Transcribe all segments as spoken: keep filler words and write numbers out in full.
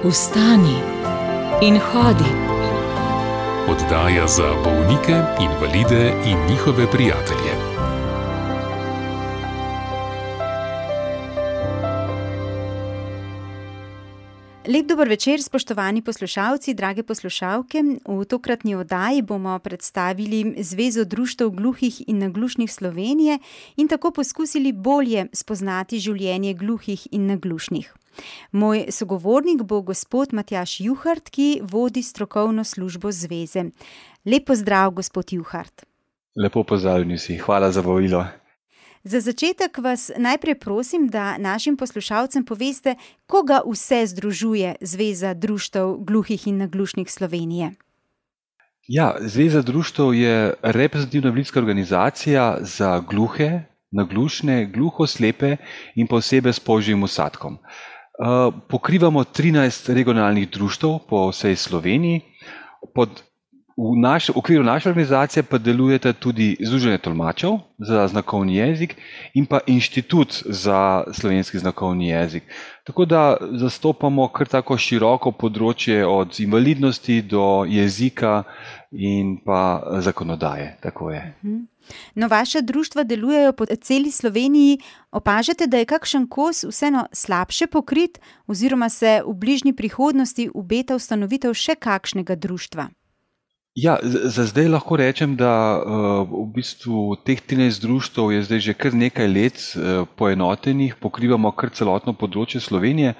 Vstani in hodi. Oddaja za bolnike, invalide in njihove prijatelje. Lep dober večer, spoštovani poslušalci, drage poslušalke. V tokratni oddaji bomo predstavili Zvezo društev gluhih in naglušnih Slovenije in tako poskusili bolje spoznati življenje gluhih in naglušnih. Moj sogovornik bo gospod Matjaž Juhart, ki vodi strokovno službo zveze. Lep pozdrav, gospod Juhart. Lepo pozdravljeni vsi, hvala za vabilo. Za začetek vas najprej prosim, da našim poslušalcem poveste, koga vse združuje Zveza društev gluhih in naglušnih Slovenije. Ja, Zveza društev je reprezentativna invalidska organizacija za gluhe, naglušne, gluhoslepe in pa osebe s polžjim vsadkom. Pokrivamo trinajst regionalnih društev po vsej Sloveniji. Pod V, naš, v okviru naše organizacije pa delujete tudi Združenje tolmačev za znakovni jezik in pa Inštitut za slovenski znakovni jezik. Tako da zastopamo kar tako široko področje od invalidnosti do jezika in pa zakonodaje. Tako je. No, vaša društva delujejo po celi Sloveniji. Opažate, da je kakšen kos vseeno slabše pokrit oziroma se v bližnji prihodnosti obeta ustanovitev še kakšnega društva? Ja, za zdaj lahko rečem, da uh, v bistvu teh trinajst društev je zdaj že kar nekaj let uh, poenotenih, pokrivamo kar celotno področje Slovenije.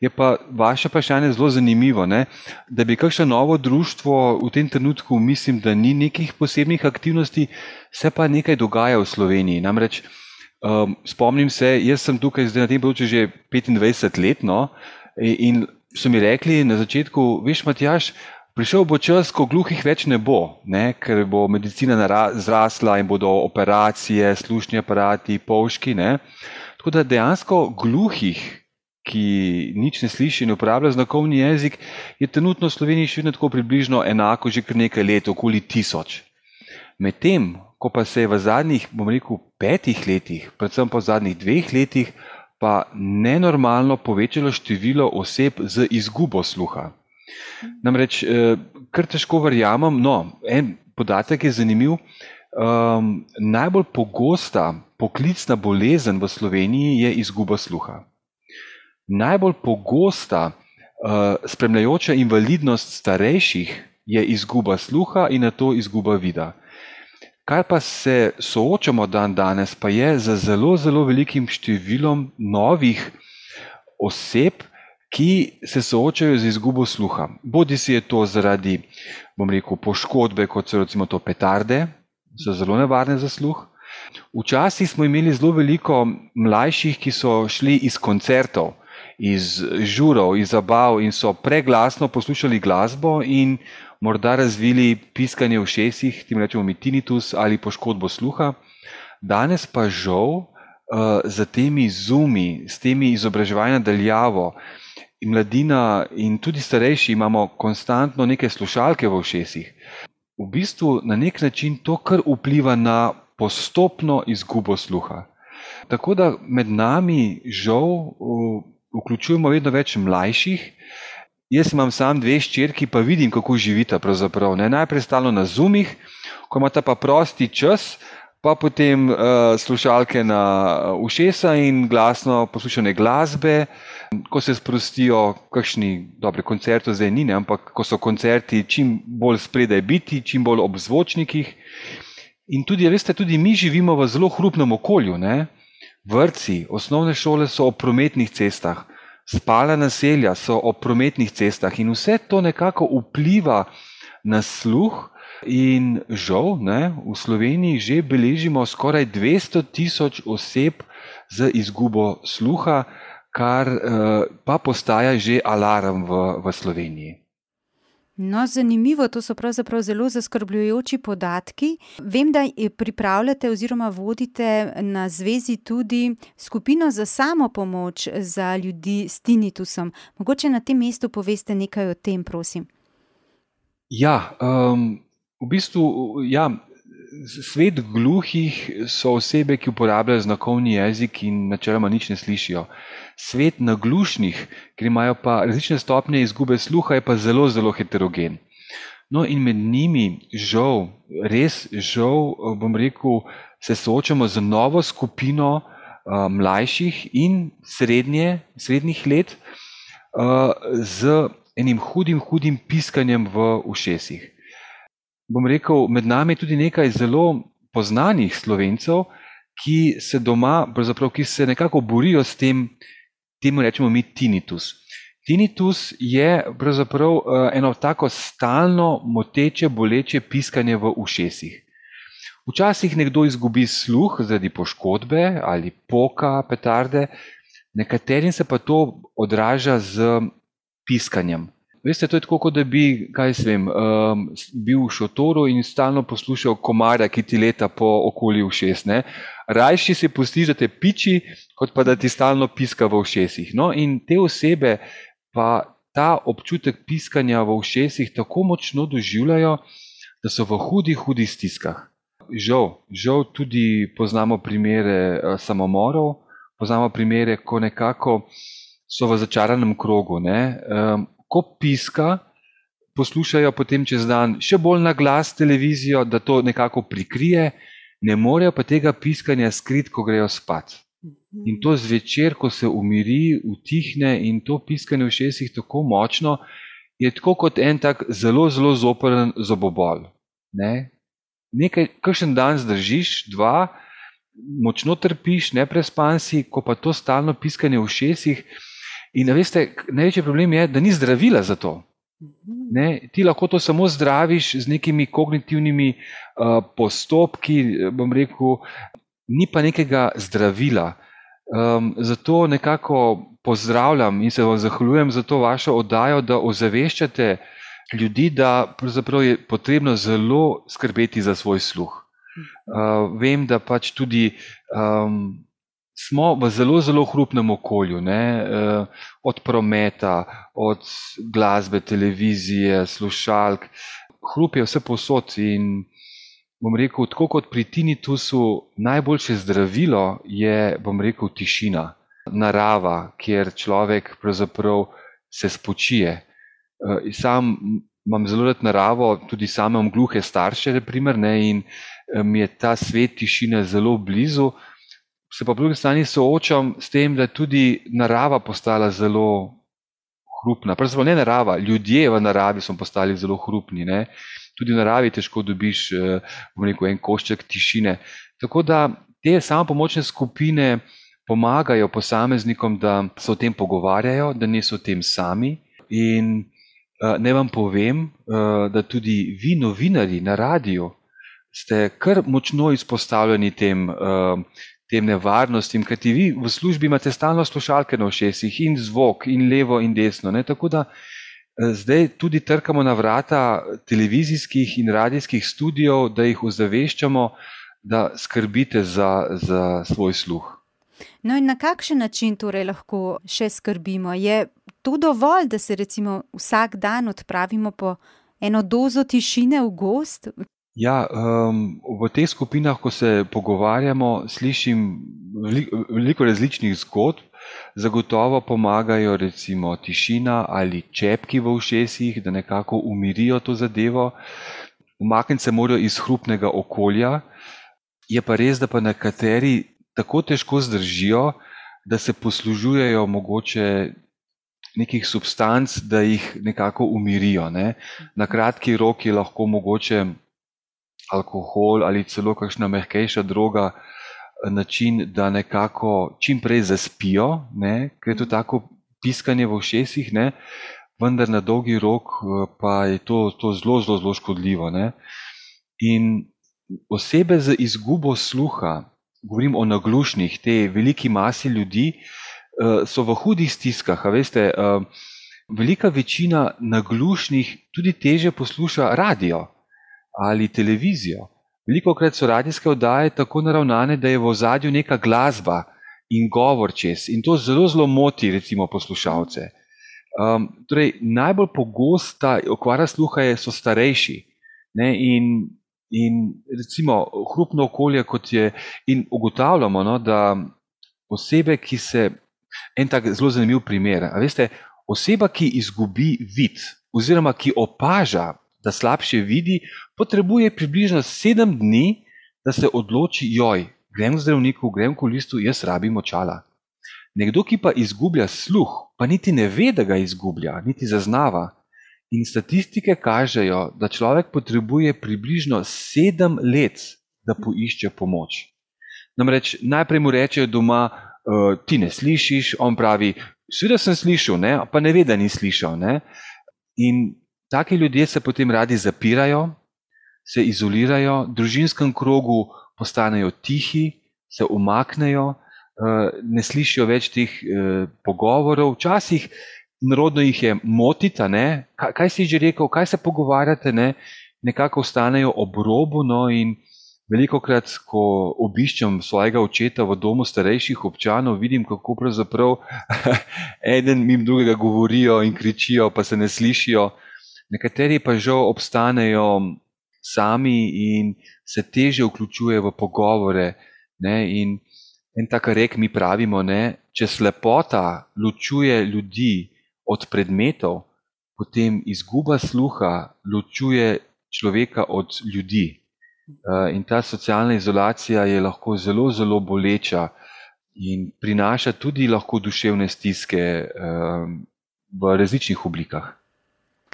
Je pa vaše vprašanje zelo zanimivo, ne? Da bi kakšno novo društvo v tem trenutku, mislim, da ni nekih posebnih aktivnosti, se pa nekaj dogaja v Sloveniji. Namreč um, spomnim se, jaz sem tukaj zdaj na tem področju že petindvajset let, no, in so mi rekli na začetku, veš, Matjaž, prišel bo čas, ko gluhih več ne bo, ne, ker bo medicina zrasla in bodo operacije, slušni aparati, polžki. Ne. Tako da dejansko gluhih, ki nič ne sliši in uporablja znakovni jezik, je trenutno v Sloveniji še vedno tako približno enako že kar nekaj let, okoli tisoč. Medtem, ko pa se je v zadnjih, bom rekel, petih letih, predvsem pa v zadnjih dveh letih, pa nenormalno povečalo število oseb z izgubo sluha. Namreč, kar težko verjamem, no, en podatek je zanimiv, um, najbolj pogosta poklicna bolezen v Sloveniji je izguba sluha. Najbolj pogosta uh, spremljajoča invalidnost starejših je izguba sluha in nato izguba vida. Kar pa se soočamo dan danes, pa je z zelo, zelo velikim številom novih oseb, ki se soočajo z izgubo sluha. Bodi si je to zaradi, bom rekel, poškodbe, kot so recimo to petarde, so zelo nevarne za sluh. Včasih smo imeli zelo veliko mlajših, ki so šli iz koncertov, iz žurov, iz zabav in so preglasno poslušali glasbo in morda razvili piskanje v ušesih, tem rečemo mi tinnitus ali poškodbo sluha. Danes pa žal za temi zoomi, s temi izobraževanji na daljavo, in mladina in tudi starejši imamo konstantno neke slušalke v ušesih. V bistvu na nek način to kar vpliva na postopno izgubo sluha. Tako da med nami žal vključujemo vedno več mlajših. Jaz imam sam dve hčerki, pa vidim, kako živita pravzaprav. Ne? Najprej stalno na zoomih, ko imata pa prosti čas, pa potem uh, slušalke na ušesa in glasno poslušane glasbe. Ko se sprostijo kakšni dobre koncerti, zdaj ni, ne, ampak ko so koncerti čim bolj spredaj biti, čim bolj ob zvočnikih. In tudi, veste, tudi mi živimo v zelo hrupnem okolju. Ne. Vrtci, osnovne šole so ob prometnih cestah, spalna naselja so ob prometnih cestah in vse to nekako vpliva na sluh. In žal, ne, v Sloveniji že beležimo skoraj dvesto tisoč oseb z izgubo sluha, kar uh, pa postaja že alarm v, v Sloveniji. No, zanimivo, to so pravzaprav zelo zaskrbljujoči podatki. Vem, da pripravljate oziroma vodite na zvezi tudi skupino za samopomoč za ljudi s tinnitusom. Mogoče na tem mestu poveste nekaj o tem, prosim. Ja, um, v bistvu, ja, svet gluhih so osebe, ki uporabljajo znakovni jezik in načeloma nič ne slišijo. Svet naglušnih, ki imajo pa različne stopnje izgube sluha, je pa zelo, zelo heterogen. No in med njimi, žal, res žal, bom rekel, se soočamo z novo skupino uh, mlajših in srednje, srednjih let uh, z enim hudim, hudim piskanjem v ušesih. Bom rekel, med nami je tudi nekaj zelo poznanih Slovencev, ki se doma, pravzaprav, ki se nekako borijo s tem, temu rečemo mi tinnitus. Tinnitus je pravzaprav eno tako stalno moteče, boleče piskanje v ušesih. Včasih nekdo izgubi sluh zaradi poškodbe ali poka, petarde, nekaterim se pa to odraža z piskanjem. Veste, to je tako, kot da bi, kaj se vem, um, bil v šotoru in stalno poslušal komarja, ki ti leta po okoli ušes. Ne? Rajši si pustiš, da te piči, kot pa da ti stalno piska v ušesih. No, in te osebe pa ta občutek piskanja v ušesih tako močno doživljajo, da so v hudih, hudih stiskah. Žal, žal tudi poznamo primere samomorov, poznamo primere, ko nekako so v začaranem krogu. Ne? Um, Ko piska, poslušajo potem čez dan še bolj na glas televizijo, da to nekako prikrije, ne morejo pa tega piskanja skriti, ko grejo spat. In to zvečer, ko se umiri, utihne in to piskanje v ušesih tako močno, je tako kot en tak zelo, zelo zoprn zobobol. Ne? Nekaj, kakšen dan zdržiš, dva, močno trpiš, neprespan si, ko pa to stalno piskanje v ušesih. In veste, največji problem je, da ni zdravila za to. Ne? Ti lahko to samo zdraviš z nekimi kognitivnimi uh, postopki, bom rekel, ni pa nekega zdravila. Um, zato nekako pozdravljam in se vam zahvaljujem za to vašo oddajo, da ozaveščate ljudi, da pravzaprav je potrebno zelo skrbeti za svoj sluh. Uh, vem, da pač tudi um, smo v zelo, zelo hrupnem okolju, ne? Od prometa, od glasbe, televizije, slušalk. Hrup je vse povsod in bom rekel, tako kot pri tinnitusu, najboljše zdravilo je, bom rekel, tišina, narava, kjer človek pravzaprav se spočije. Sam imam zelo rad naravo, tudi sam imam gluhe starše, na primer, ne? In mi je ta svet tišine zelo blizu. Se pa po drugi strani soočam s tem, da tudi narava postala zelo hrupna. Pravzaprav ne narava, ljudje v naravi so postali zelo hrupni. Ne? Tudi v naravi težko dobiš, bom rekel, en košček tišine. Tako da te samopomočne skupine pomagajo posameznikom, da se o tem pogovarjajo, da niso o tem sami. In ne vam povem, da tudi vi, novinarji na radiju, ste kar močno izpostavljeni tem tem nevarnostim, kajti vi v službi imate stalno slušalke na ušesih in zvok in levo in desno. Ne? Tako da zdaj tudi trkamo na vrata televizijskih in radijskih studijev, da jih ozaveščamo, da skrbite za, za svoj sluh. No in na kakšen način torej lahko še skrbimo? Je to dovolj, da se recimo vsak dan odpravimo po eno dozo tišine v gozd? Ja, um, v teh skupinah, ko se pogovarjamo, slišim veliko, veliko različnih zgodb. Zagotovo pomagajo recimo tišina ali čepki v ušesih, da nekako umirijo to zadevo. Umakniti se morajo iz hrupnega okolja. Je pa res, da pa nekateri tako težko zdržijo, da se poslužujejo mogoče nekih substanc, da jih nekako umirijo. Ne? Na kratki rok je lahko mogoče alkohol ali celo kakšna mehkejša droga način, da nekako čim prej zaspijo, ne? Ker je to tako piskanje v ušesih, ne? Vendar na dolgi rok pa je to, to zelo, zelo, zelo škodljivo. Ne? In osebe z izgubo sluha, govorim o naglušnih, te veliki masi ljudi, so v hudih stiskah. A veste, velika večina naglušnih tudi teže posluša radio ali televizijo. Velikokrat so radijske oddaje tako naravnane, da je v ozadju neka glasba in govor čez. In to zelo, zelo moti recimo poslušalce. Um, torej, najbolj pogosta okvara sluha je, so starejši. Ne? In In recimo hrupno okolje, kot je, in ugotavljamo, no, da osebe, ki se, en tak zelo zanimiv primer, a veste, oseba, ki izgubi vid, oziroma ki opaža, da slabše vidi, potrebuje približno sedem dni, da se odloči, joj, grem k zdravniku, grem k okulistu, jaz rabim očala. Nekdo, ki pa izgublja sluh, pa niti ne ve, da ga izgublja, niti zaznava. In statistike kažejo, da človek potrebuje približno sedem let, da poišče pomoč. Namreč najprej mu rečejo doma, uh, ti ne slišiš, on pravi, seveda sem slišal, ne? Pa ne ve, da ni slišal. Ne? In taki ljudje se potem radi zapirajo, se izolirajo, v družinskem krogu postanejo tihi, se umaknejo, uh, ne slišijo več teh uh, pogovorov, včasih narodno jih je motita, ne? Kaj, kaj si že rekel, kaj se pogovarjate, ne? Nekako ostanejo ob robu, no, in velikokrat, ko obiščem svojega očeta v domu starejših občanov, vidim, kako pravzaprav eden mimo drugega govorijo in kričijo, pa se ne slišijo. Nekateri pa žal obstanejo sami in se teže vključujejo v pogovore, ne? In en tak rek mi pravimo, ne? Če slepota ločuje ljudi od predmetov, potem izguba sluha ločuje človeka od ljudi. In ta socialna izolacija je lahko zelo, zelo boleča in prinaša tudi lahko duševne stiske v različnih oblikah.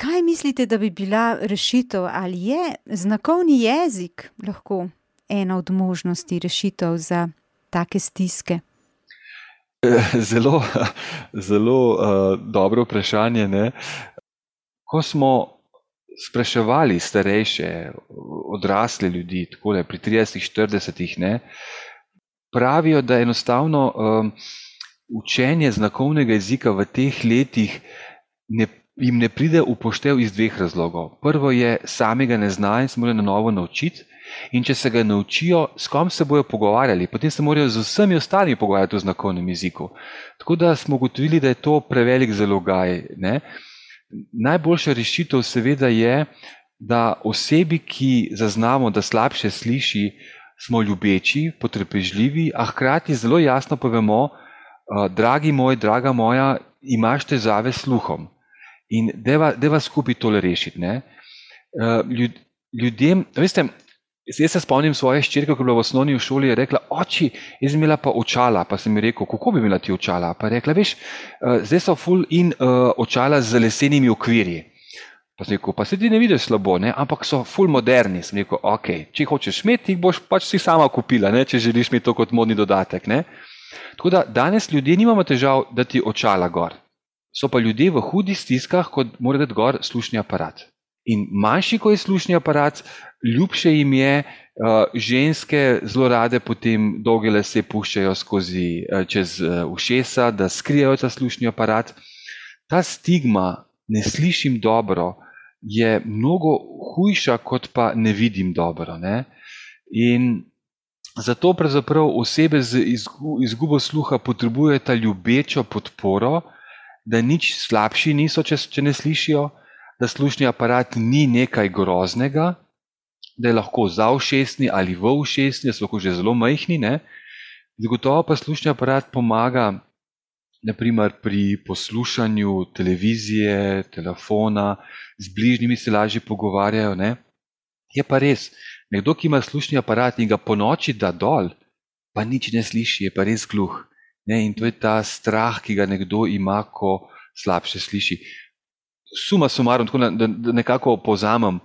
Kaj mislite, da bi bila rešitev, ali je znakovni jezik lahko ena od možnosti rešitev za take stiske? Zelo, zelo uh, dobro vprašanje. Ne? Ko smo spraševali starejše, odrasle ljudi, takole, pri tridesetih, štiridesetih, ne, pravijo, da enostavno um, učenje znakovnega jezika v teh letih ne, jim ne pride v poštev iz dveh razlogov. Prvo je, samega ne znajo in se morajo na novo naučiti. In če se ga naučijo, s kom se bojo pogovarjali, potem se morajo z vsemi ostalimi pogovarjati v znakovnem jeziku. Tako da smo ugotovili, da je to prevelik zalogaj. Ne? Najboljša rešitev seveda je, da osebi, ki zaznamo, da slabše sliši, smo ljubeči, potrpežljivi, a hkrati zelo jasno povemo, dragi moj, draga moja, imaš težave s sluhom. In deva, deva skupaj tole rešiti. Ne? Ljud, ljudem, veste, jaz se spomnim svoje hčerke, ko je bila v osnovni šoli, je rekla, oči, jaz sem imela pa očala, pa sem ji rekel, kako bi imela ti očala? Pa je rekla, veš, zdaj so ful in uh, očala z lesenimi okvirji. Pa sem rekel, pa se ti ne vidiš slabo, ne? Ampak so ful moderni. Sem rekel, ok, če hočeš imeti, jih boš pač si sama kupila, ne? Če želiš imeti to kot modni dodatek. Ne? Tako da danes ljudje nimamo težav, da ti očala gor. So pa ljudje v hudih stiskah, kot mora dati gor slušni aparat. In manjši, ko je slušni aparat, ljubše jim je, uh, ženske zelo rade potem dolge lase puščajo skozi uh, čez uh, ušesa, da skrijejo ta slušni aparat. Ta stigma, ne slišim dobro, je mnogo hujša, kot pa ne vidim dobro. Ne? In zato pravzaprav osebe z izgubo sluha potrebujejo ta ljubečo podporo, da nič slabši niso, če, če ne slišijo, da slušni aparat ni nekaj groznega, da je lahko za ušesni ali v ušesni, da so lahko že zelo majhni. Ne? Zagotovo pa slušni aparat pomaga naprimer pri poslušanju televizije, telefona, z bližnjimi se lažje pogovarjajo. Ne? Je pa res, nekdo, ki ima slušni aparat in ga po noči da dol, pa nič ne sliši, je pa res gluh. Ne? In to je ta strah, ki ga nekdo ima, ko slabše sliši. Suma sumarum, tako da, da nekako povzamem,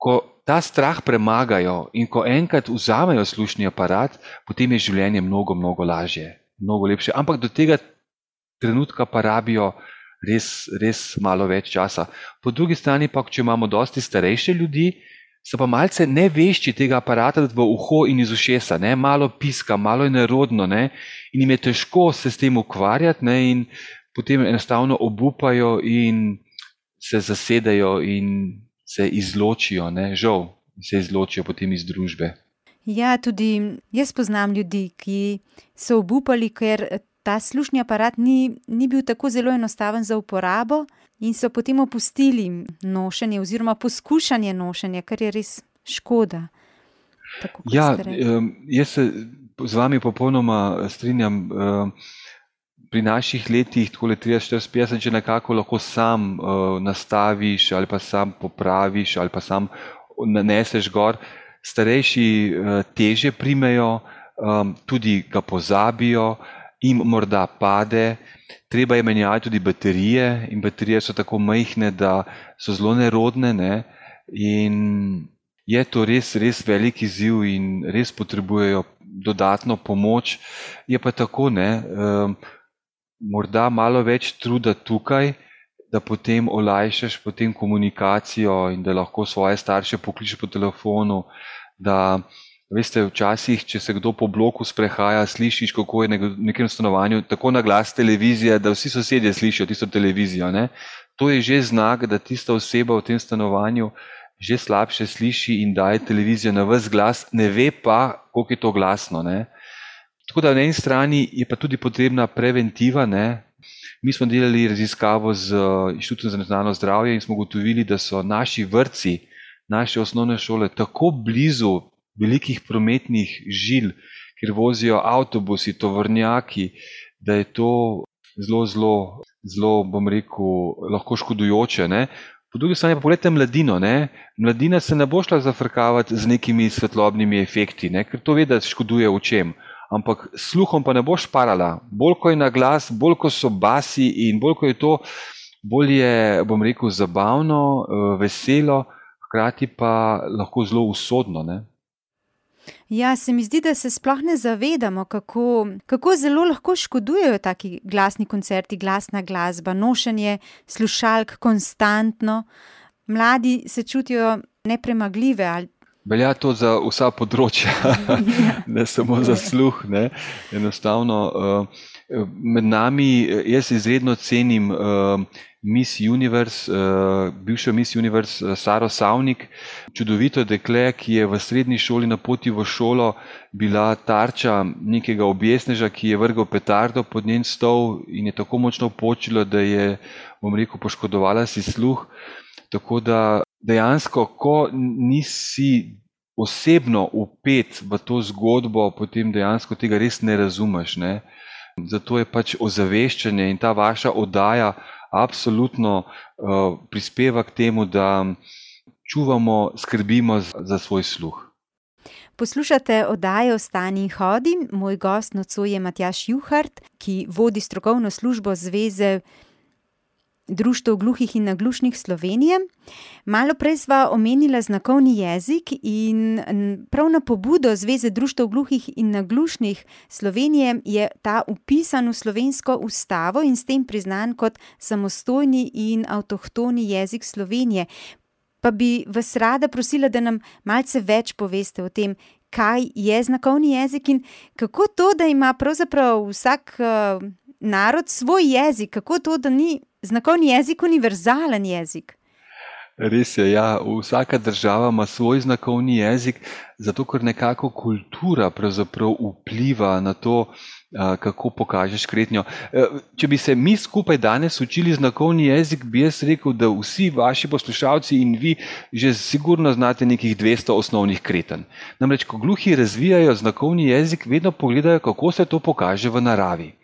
ko ta strah premagajo in ko enkrat vzamejo slušni aparat, potem je življenje mnogo, mnogo lažje, mnogo lepše. Ampak do tega trenutka pa rabijo res, res malo več časa. Po drugi strani pa, če imamo dosti starejše ljudi, so pa malce nevešči tega aparata v uho in iz ušesa, ne? Malo piska, malo je nerodno, ne? In jim je težko se s tem ukvarjati, ne? In potem enostavno obupajo in se zasedajo in se izločijo, ne? Žal se izločijo potem iz družbe. Ja, tudi jaz poznam ljudi, ki so obupali, ker ta slušni aparat ni, ni bil tako zelo enostaven za uporabo in so potem opustili nošenje oziroma poskušanje nošenja, kar je res škoda. Tako kot Ja, ste rekli. um, jaz se z vami popolnoma strinjam. Um, pri naših letih, takole trideset, štirideset, petdeset, če nekako lahko sam uh, nastaviš ali pa sam popraviš ali pa sam naneseš gor, starejši uh, teže primejo, um, tudi ga pozabijo, jim morda pade, treba je menjati tudi baterije in baterije so tako majhne, da so zelo nerodne, ne? In je to res, res velik izziv in res potrebujejo dodatno pomoč. Je pa tako, ne, um, morda malo več truda tukaj, da potem olajšaš potem komunikacijo in da lahko svoje starše pokličeš po telefonu, da, veste, včasih, če se kdo po bloku sprehaja, slišiš, kako je v nekem stanovanju tako na glas televizija, da vsi sosedje slišijo tisto televizijo, ne. To je že znak, da tista oseba v tem stanovanju že slabše sliši in daje televizijo na ves glas, ne ve pa, koliko je to glasno, ne. Tako da na eni strani je pa tudi potrebna preventiva, ne. Mi smo delali raziskavo z Inštitutom za nacionalno zdravje in smo ugotovili, da so naši vrtci, naše osnovne šole tako blizu velikih prometnih žil, kjer vozijo avtobusi, tovornjaki, da je to zelo, zelo, zelo, bom rekel, lahko škodujoče, ne. Po drugi strani pa pogledajte mladino, ne. Mladina se ne bo šla zafrkavati z nekimi svetlobnimi efekti, ne, ker to ve, da škoduje očem. Ampak sluhom pa ne boš parala. Bolj ko je na glas, bolj ko so basi in bolj ko je to, bolj je, bom rekel, zabavno, veselo, hkrati pa lahko zelo usodno, ne. Ja, se mi zdi, da se sploh ne zavedamo, kako, kako zelo lahko škodujejo taki glasni koncerti, glasna glasba, nošenje slušalk konstantno. Mladi se čutijo nepremagljive ali Velja to za vsa področja, ne samo za sluh, ne. Enostavno, med nami, jaz izredno cenim Miss Universe, bivšo Miss Universe Saro Savnik, čudovito dekle, ki je v srednji šoli na poti v šolo bila tarča nekega objesneža, ki je vrgel petardo pod njen stol in je tako močno počilo, da je, bom rekel, poškodovala si sluh. Tako da dejansko, ko nisi osebno vpet v to zgodbo, potem dejansko tega res ne razumeš, ne. Zato je pač ozaveščanje in ta vaša oddaja absolutno uh, prispeva k temu, da čuvamo, skrbimo za svoj sluh. Poslušate oddajo Vstani in hodi. Moj gost nocoj je Matjaž Juhart, ki vodi strokovno službo Zveze Društev gluhih in naglušnih Slovenije. Malo prej sva omenila znakovni jezik in prav na pobudo Zveze Društev gluhih in naglušnih Slovenije je ta vpisan v slovensko ustavo in s tem priznan kot samostojni in avtohtoni jezik Slovenije. Pa bi vas rada prosila, da nam malce več poveste o tem, kaj je znakovni jezik in kako to, da ima pravzaprav vsak uh, narod svoj jezik, kako to, da ni znakovni jezik univerzalen jezik. Res je, ja, vsaka država ima svoj znakovni jezik, zato ker nekako kultura pravzaprav vpliva na to, kako pokažeš kretnjo. Če bi se mi skupaj danes učili znakovni jezik, bi jaz rekel, da vsi vaši poslušalci in vi že sigurno znate nekih dvesto osnovnih kretenj. Namreč, ko gluhi razvijajo znakovni jezik, vedno pogledajo, kako se to pokaže v naravi.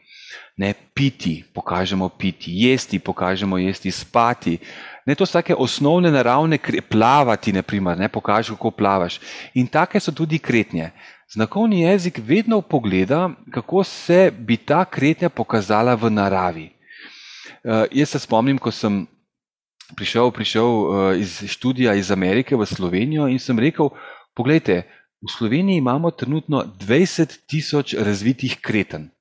Ne, piti, pokažemo piti, jesti, pokažemo jesti, spati. Ne, to so take osnovne naravne, plavati, na primer, ne, pokaži, kako plavaš. In take so tudi kretnje. Znakovni jezik vedno pogleda, kako se bi ta kretnja pokazala v naravi. Uh, jaz se spomnim, ko sem prišel, prišel uh, iz študija iz Amerike v Slovenijo in sem rekel, poglejte, v Sloveniji imamo trenutno dvajset tisoč razvitih kretenj.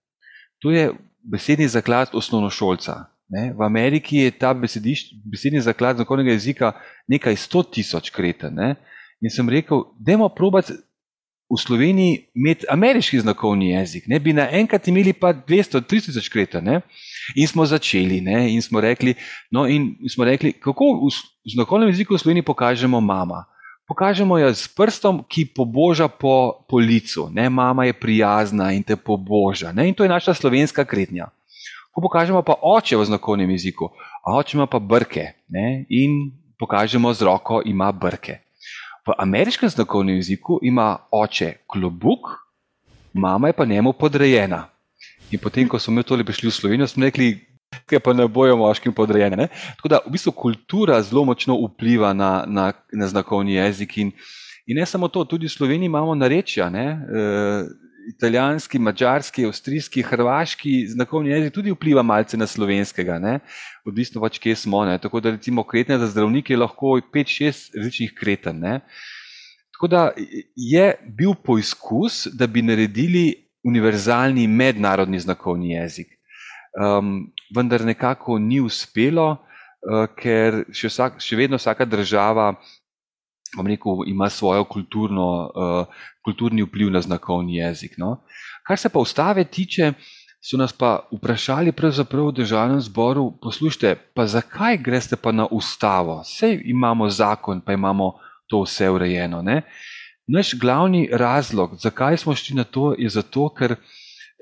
To je besedni zaklad osnovnošolca. Ne? V Ameriki je ta besedni zaklad znakovnega jezika nekaj sto tisoč kretenj. Ne? In sem rekel, dajmo probati v Sloveniji imeti ameriški znakovni jezik, ne? Bi naenkrat imeli pa dvesto, tristo tisoč kretenj. Ne? In smo začeli, ne? In smo rekli, no in smo rekli, kako v znakovnem jeziku v Sloveniji pokažemo mama. Pokažemo jo s prstom, ki poboža po, po licu. Ne? Mama je prijazna in te poboža. Ne? In to je naša slovenska kretnja. Ko pokažemo pa oče v znakovnem jeziku, a oče ima pa brke, ne? In pokažemo z roko, ima brke. V ameriškem znakovnem jeziku ima oče klobuk, mama je pa njemu podrejena. In potem, ko smo mi tole prišli v Slovenijo, smo rekli, kaj pa ne bojo moškim podrejene. Ne? Tako da v bistvu kultura zelo močno vpliva na, na, na znakovni jezik. In, in ne samo to, tudi v Sloveniji imamo narečja, ne? E, italijanski, mađarski, avstrijski, hrvaški znakovni jezik tudi vpliva malce na slovenskega, ne? Odvisno pač, kje smo. Ne? Tako da recimo kretnja za zdravnike je lahko pet šest različnih kreten. Ne? Tako da je bil poizkus, da bi naredili univerzalni mednarodni znakovni jezik. Um, vendar nekako ni uspelo, uh, ker še, vsak, še vedno vsaka država, bom rekel, ima svojo kulturno, uh, kulturni vpliv na znakovni jezik. No? Kar se pa ustave tiče, so nas pa vprašali pravzaprav v Državnem zboru, poslušajte, pa zakaj greste pa na ustavo? Sej imamo zakon, pa imamo to vse urejeno. Ne? Naš glavni razlog, zakaj smo šli na to, je zato, ker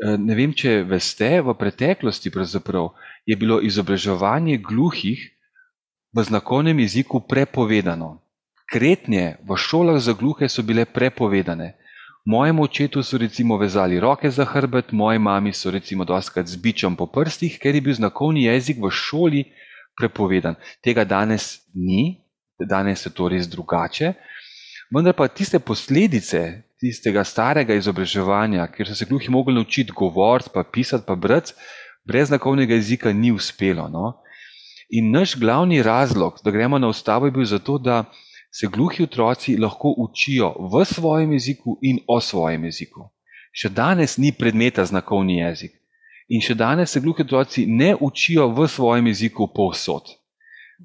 ne vem, če veste, v preteklosti pravzaprav je bilo izobraževanje gluhih v znakovnem jeziku prepovedano. Kretnje v šolah za gluhe so bile prepovedane. Mojemu očetu so recimo vezali roke za hrbet, moji mami so recimo dostikrat z bičem po prstih, ker je bil znakovni jezik v šoli prepovedan. Tega danes ni, danes je to res drugače. Vendar pa tiste posledice tistega starega izobraževanja, kjer so se gluhi mogli naučiti govoriti, pa pisati, pa brati, brez znakovnega jezika ni uspelo. No? In naš glavni razlog, da gremo na ustavo, je bil zato, da se gluhi otroci lahko učijo v svojem jeziku in o svojem jeziku. Še danes ni predmeta znakovni jezik. In še danes se gluhi otroci ne učijo v svojem jeziku povsod.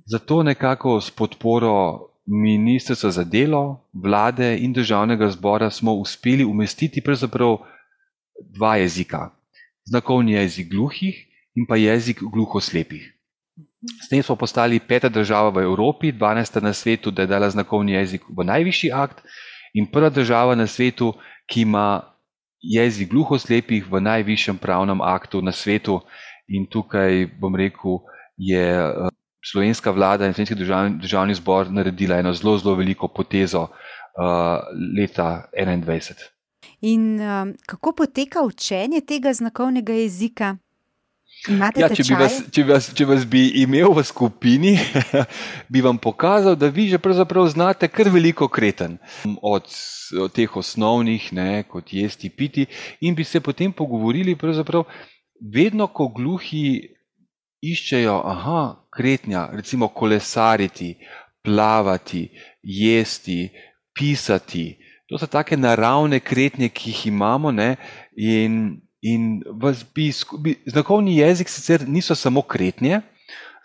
Zato nekako s podporo Ministrstva za delo, vlade in Državnega zbora smo uspeli umestiti pravzaprav dva jezika. Znakovni jezik gluhih in pa jezik gluhoslepih. S tem smo postali peta država v Evropi, dvanajsta na svetu, da je dala znakovni jezik v najvišji akt, in prva država na svetu, ki ima jezik gluhoslepih v najvišjem pravnem aktu na svetu. In tukaj, bom rekel, je slovenska vlada in slovenski državni, državni zbor naredila eno zelo, zelo veliko potezo uh, leta enaindvajset. In um, kako poteka učenje tega znakovnega jezika? Imate ja, če, bi vas, če, bi vas, če vas bi imel v skupini, bi vam pokazal, da vi že pravzaprav znate kar veliko kreten. Od, od teh osnovnih, ne, kot jesti, piti, in bi se potem pogovorili pravzaprav vedno, ko gluhi iščejo, aha, kretnja, recimo kolesariti, plavati, jesti, pisati. To so take naravne kretnje, ki jih imamo, ne, in, in vas bi, bi, znakovni jezik sicer niso samo kretnje,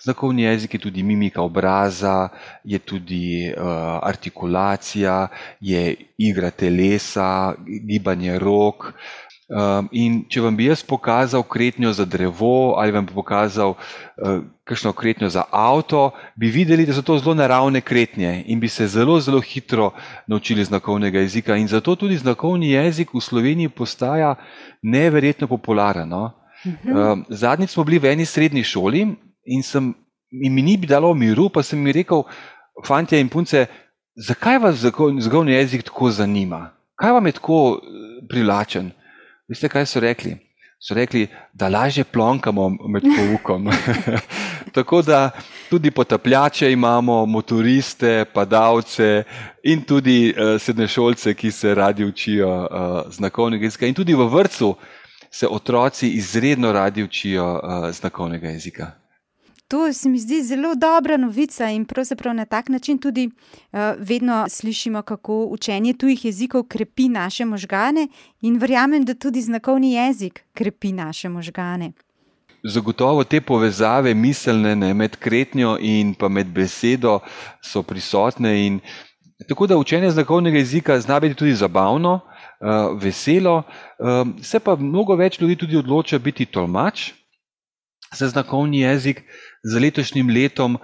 znakovni jezik je tudi mimika obraza, je tudi uh, artikulacija, je igra telesa, gibanje rok. Um, in če vam bi jaz pokazal kretnjo za drevo ali vam bi pokazal uh, kakšno kretnjo za avto, bi videli, da so to zelo naravne kretnje in bi se zelo, zelo hitro naučili znakovnega jezika. In zato tudi znakovni jezik v Sloveniji postaja neverjetno popularen. No? Um, zadnjič smo bili v eni srednji šoli in, sem, in mi ni bi dalo miru, pa sem mi rekel, fantje in punce, zakaj vas znakovni jezik tako zanima? Kaj vam je tako privlačen? Veste, kaj so rekli? So rekli, da lažje plonkamo med poukom. Tako da tudi potapljače imamo, motoriste, padalce in tudi uh, srednješolce, ki se radi učijo uh, znakovnega jezika. In tudi v vrtcu se otroci izredno radi učijo uh, znakovnega jezika. To se mi zdi zelo dobra novica in pravzaprav na tak način tudi uh, vedno slišimo, kako učenje tujih jezikov krepi naše možgane in verjamem, da tudi znakovni jezik krepi naše možgane. Zagotovo te povezave miselne, ne, med kretnjo in pa med besedo so prisotne. In tako da učenje znakovnega jezika zna biti tudi zabavno, uh, veselo, uh, se pa mnogo več ljudi tudi odloča biti tolmač za znakovni jezik. Za letošnjim letom uh,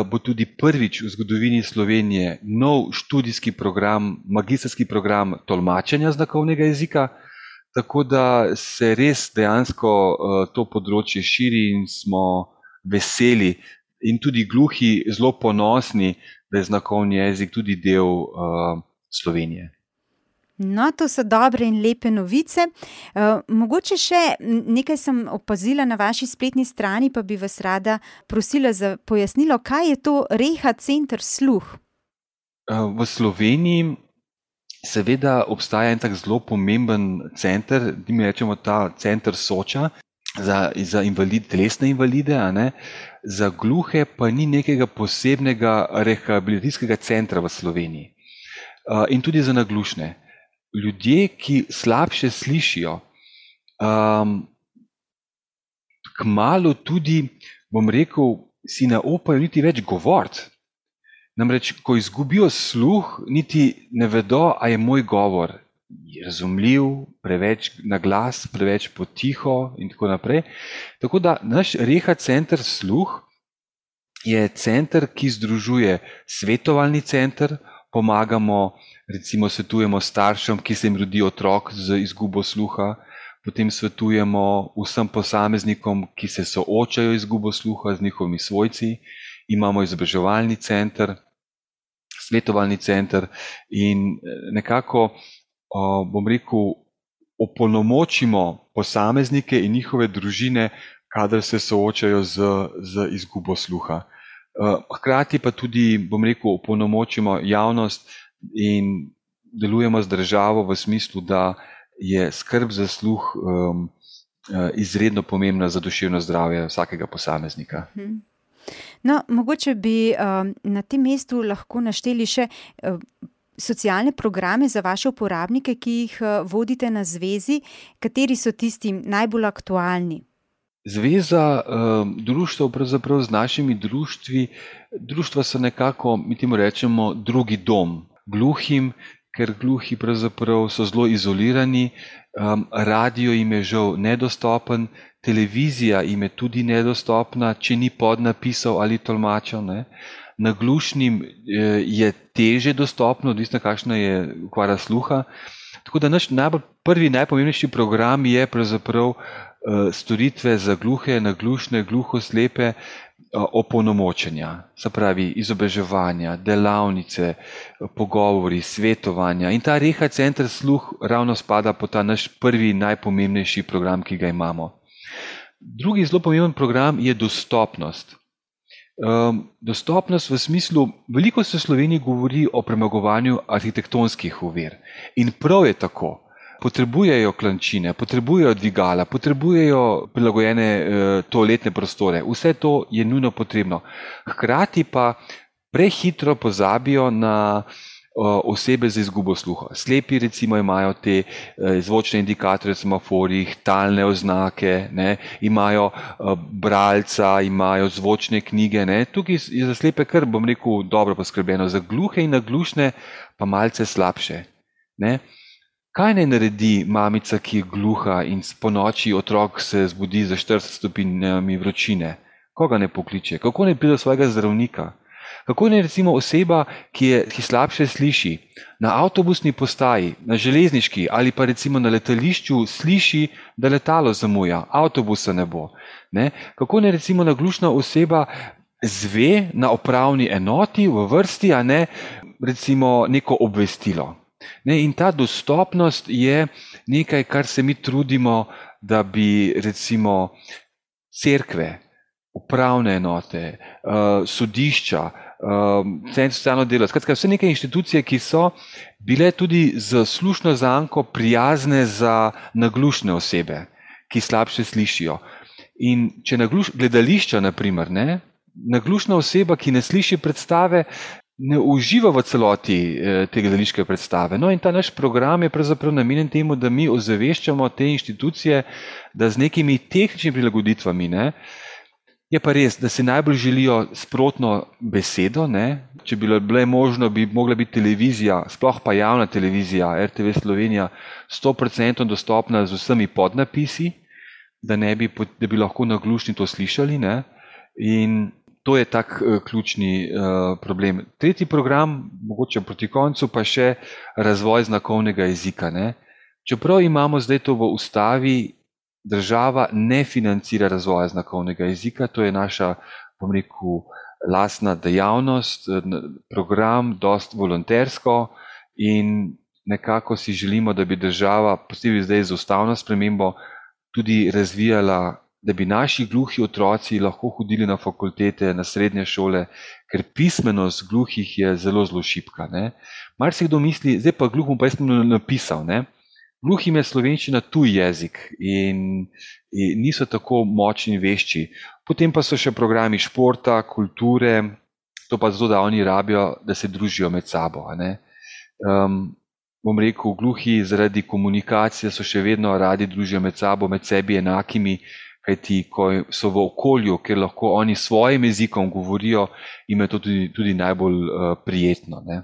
bo tudi prvič v zgodovini Slovenije nov študijski program, magistrski program tolmačenja znakovnega jezika, tako da se res dejansko uh, to področje širi in smo veseli in tudi gluhi zelo ponosni, da je znakovni jezik tudi del uh, Slovenije. No, to so dobre in lepe novice. Uh, mogoče še nekaj sem opazila na vaši spletni strani, pa bi vas rada prosila za pojasnilo, kaj je to Reha center sluh? Uh, v Sloveniji seveda obstaja en tak zelo pomemben center, mi rečemo ta center Soča, za, za invalid, telesne invalide, a ne? Za gluhe pa ni nekega posebnega rehabilitacijskega centra v Sloveniji. Uh, in tudi za naglušne. Ljudje, ki slabše slišijo, um, kmalu tudi, bom rekel, si ne upajo niti več govoriti. Namreč, ko izgubijo sluh, niti ne vedo, a je moj govor razumljiv, preveč na glas, preveč potiho in tako naprej. Tako da naš Reha center sluh je center, ki združuje svetovalni center, pomagamo, recimo svetujemo staršem, ki se jim rodi otrok z izgubo sluha, potem svetujemo vsem posameznikom, ki se soočajo z izgubo sluha z njihovimi svojci, imamo izobraževalni center, svetovalni center in nekako, bom rekel, opolnomočimo posameznike in njihove družine, kadar se soočajo z, z izgubo sluha. Hkrati pa tudi, bom rekel, opolnomočimo javnost in delujemo z državo v smislu, da je skrb za sluh um, izredno pomembna za duševno zdravje vsakega posameznika. No, mogoče bi um, na tem mestu lahko našteli še um, socialne programe za vaše uporabnike, ki jih uh, vodite na zvezi. Kateri so tisti najbolj aktualni? Zveza um, društev, pravzaprav z našimi društvi, društva so nekako, mi temu rečemo, drugi dom gluhim, ker gluhi pravzaprav so zelo izolirani, um, radio jim je žal nedostopen, televizija jim je tudi nedostopna, če ni podnapisov ali tolmačev, ne. Naglušnim eh, je teže dostopno, odvisno kakšna je okvara sluha. Tako da naš najbolj prvi, najpomembnejši program je pravzaprav eh, storitve za gluhe, naglušne, gluhoslepe, opolnomočenja, se pravi izobraževanja, delavnice, pogovori, svetovanja. In ta Reha center sluh ravno spada po ta naš prvi najpomembnejši program, ki ga imamo. Drugi zelo pomemben program je dostopnost. Um, dostopnost v smislu, veliko se v Sloveniji govori o premagovanju arhitektonskih ovir. In prav je tako. Potrebujejo klančine, potrebujejo dvigala, potrebujejo prilagojene e, toaletne prostore. Vse to je nujno potrebno. Hkrati pa prehitro pozabijo na o, osebe z izgubo sluha. Slepi recimo imajo te e, zvočne indikatorje v semaforjih, talne oznake, ne, imajo e, bralca, imajo zvočne knjige. Ne. Tukaj je za slepe kar, bom rekel, dobro poskrbljeno. Za gluhe in naglušne pa malce slabše. Ne. Kaj naj naredi mamica, ki je gluha in po noči otrok se zbudi za štirideset stopinjami vročine? Koga ne pokliče? Kako naj pride do svojega zdravnika? Kako naj recimo oseba, ki, je, ki slabše sliši, na avtobusni postaji, na železniški ali pa recimo na letališču sliši, da letalo zamuja, avtobusa ne bo. Ne? Kako naj recimo naglušna oseba zve na upravni enoti v vrsti, a ne recimo neko obvestilo? Ne, in ta dostopnost je nekaj, kar se mi trudimo, da bi recimo cerkve, upravne enote, uh, sodišča, uh, centri socialno delo, skratka vse neke inštitucije, ki so bile tudi z slušno zanko prijazne za naglušne osebe, ki slabše slišijo. In če nagluš, gledališča, na primer, ne, naglušna oseba, ki ne sliši predstave, ne uživa v celoti te gledališke predstave. No in ta naš program je pravzaprav namenjen temu, da mi ozaveščamo te inštitucije, da z nekimi tehničnimi prilagoditvami, ne, je pa res, da si najbolj želijo sprotno besedo, ne, če bi bilo možno, bi mogla biti televizija, sploh pa javna televizija, R T V Slovenija, sto procentov dostopna z vsemi podnapisi, da, ne bi, da bi lahko naglušni to slišali, ne, in to je tak uh, ključni uh, problem. Tretji program, mogoče proti koncu, pa še razvoj znakovnega jezika. Ne? Čeprav imamo zdaj to v ustavi, država ne financira razvoja znakovnega jezika, to je naša, bom rekel, lastna dejavnost, program, dost volontersko in nekako si želimo, da bi država, posebej zdaj z ustavno spremembo, tudi razvijala, da bi naši gluhi otroci lahko hodili na fakultete, na srednje šole, ker pismenost gluhih je zelo, zelo šibka. Marsikdo misli, zdaj pa gluhom pa jaz sem napisal, ne? Gluhim je slovenščina tuj jezik in, in niso tako močni in vešči. Potem pa so še programi športa, kulture, to pa zato, da oni rabijo, da se družijo med sabo. Ne? Um, bom rekel, gluhi zaradi komunikacije so še vedno radi družijo med sabo, med sebi enakimi, kajti ko so v okolju, kjer lahko oni svojim jezikom govorijo, jim je to tudi, tudi najbolj uh, prijetno. Ne?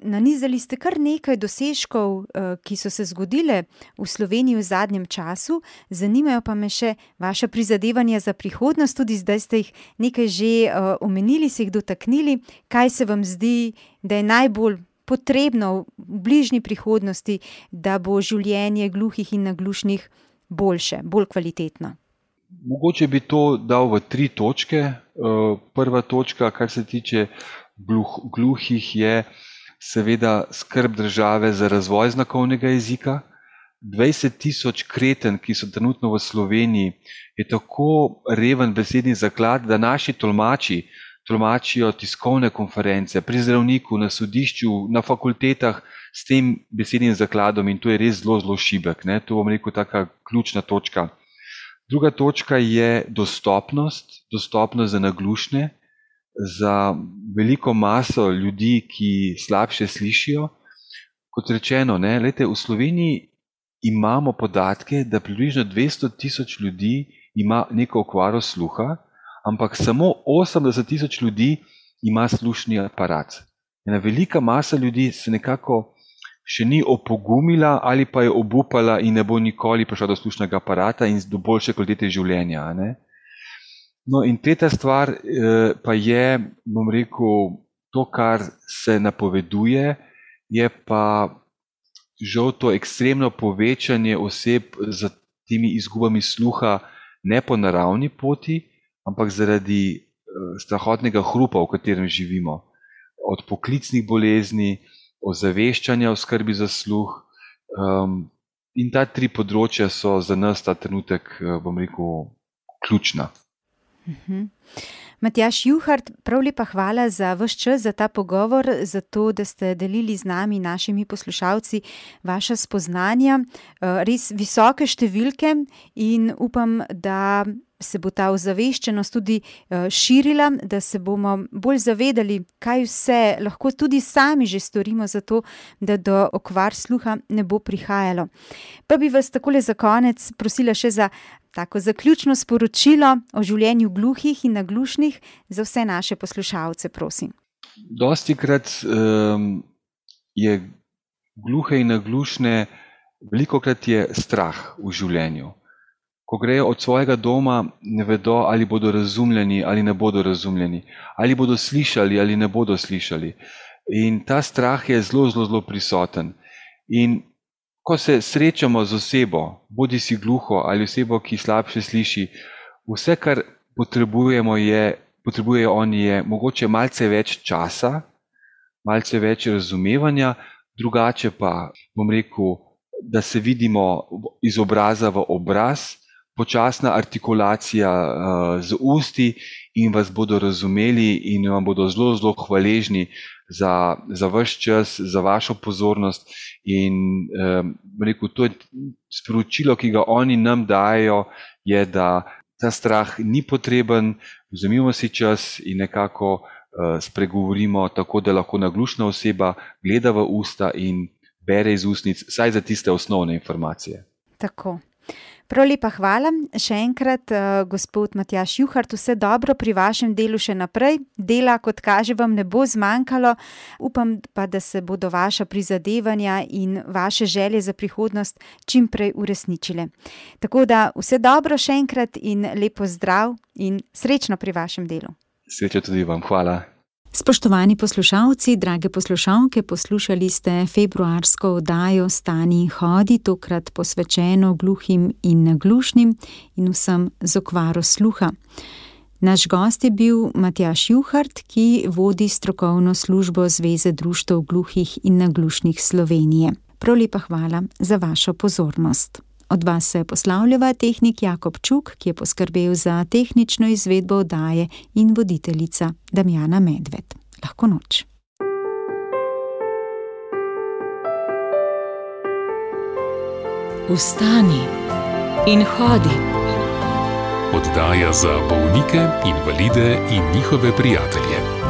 Nanizali ste kar nekaj dosežkov, ki so se zgodile v Sloveniji v zadnjem času. Zanimajo pa me še vaša prizadevanja za prihodnost, tudi zdaj ste jih nekaj že omenili, se jih dotaknili. Kaj se vam zdi, da je najbolj potrebno v bližnji prihodnosti, da bo življenje gluhih in naglušnih boljše, bolj kvalitetno? Mogoče bi to dal v tri točke. Prva točka, kar se tiče gluh, gluhih, je seveda skrb države za razvoj znakovnega jezika. dvajset tisoč kreten, ki so trenutno v Sloveniji, je tako reven besedni zaklad, da naši tolmači tolmačijo tiskovne konference pri zdravniku, na sodišču, na fakultetah s tem besednim zakladom in to je res zelo, zelo šibek. Ne? To bom rekel taka ključna točka. Druga točka je dostopnost, dostopnost za naglušne, za veliko maso ljudi, ki slabše slišijo. Kot rečeno, ne, lejte, v Sloveniji imamo podatke, da približno dvesto tisoč ljudi ima neko okvaro sluha, ampak samo osemdeset tisoč ljudi ima slušni aparat. Ena velika masa ljudi se nekako še ni opogumila ali pa je obupala in ne bo nikoli prišla do slušnega aparata in do boljše kvalitete življenja. Ne? No in tretja stvar eh, pa je, bom rekel, to, kar se napoveduje, je pa žal to ekstremno povečanje oseb z temi izgubami sluha ne po naravni poti, ampak zaradi eh, strahotnega hrupa, v katerem živimo. Od poklicnih bolezni, ozaveščanja o skrbi za sluh. Um, in ta tri področja so za nas ta trenutek, bom rekel, ključna. Uh-huh. Matjaž Juhart, prav lepa hvala za vaš čas, za ta pogovor, za to, da ste delili z nami, našimi poslušalci, vaša spoznanja. Res visoke številke in upam, da se bo ta ozaveščenost tudi širila, da se bomo bolj zavedali, kaj vse lahko tudi sami že storimo za to, da do okvar sluha ne bo prihajalo. Pa bi vas takole za konec prosila še za tako zaključno sporočilo o življenju gluhih in naglušnih za vse naše poslušalce, prosim. Dostikrat um, je gluhe in naglušne, velikokrat je strah v življenju. Ko grejo od svojega doma, ne vedo, ali bodo razumljeni ali ne bodo razumljeni, ali bodo slišali ali ne bodo slišali. In ta strah je zelo, zelo, zelo prisoten. In ko se srečamo z osebo, bodi si gluho ali osebo, ki slabše sliši, vse, kar potrebujemo je, potrebujejo oni, je mogoče malce več časa, malce več razumevanja, drugače pa, bom rekel, da se vidimo iz obraza v obraz, počasna artikulacija uh, z usti in vas bodo razumeli in vam bodo zelo, zelo hvaležni za, za vaš čas, za vašo pozornost in um, rekel, to je sporočilo, ki ga oni nam dajo, je, da ta strah ni potreben, vzemimo si čas in nekako uh, spregovorimo tako, da lahko naglušna oseba gleda v usta in bere iz ustnic, saj za tiste osnovne informacije. Tako. Prav lepa hvala. Še enkrat, uh, gospod Matjaž Juhart, vse dobro pri vašem delu še naprej. Dela, kot kaže, vam ne bo zmanjkalo. Upam pa, da se bodo vaša prizadevanja in vaše želje za prihodnost čim prej uresničile. Tako da vse dobro še enkrat in lepo zdrav in srečno pri vašem delu. Srečno tudi vam. Hvala. Spoštovani poslušalci, drage poslušalke, poslušali ste februarsko oddajo Stani in hodi, tokrat posvečeno gluhim in naglušnim in vsem z okvaro sluha. Naš gost je bil Matjaž Juhart, ki vodi strokovno službo Zveze društev gluhih in naglušnih Slovenije. Prav lepa hvala za vašo pozornost. Od vas se poslavljava tehnik Jakob Čuk, ki je poskrbel za tehnično izvedbo oddaje, in voditeljica Damjana Medved. Lahko noč. Vstani in hodi. Oddaja za bolnike, invalide in njihove prijatelje.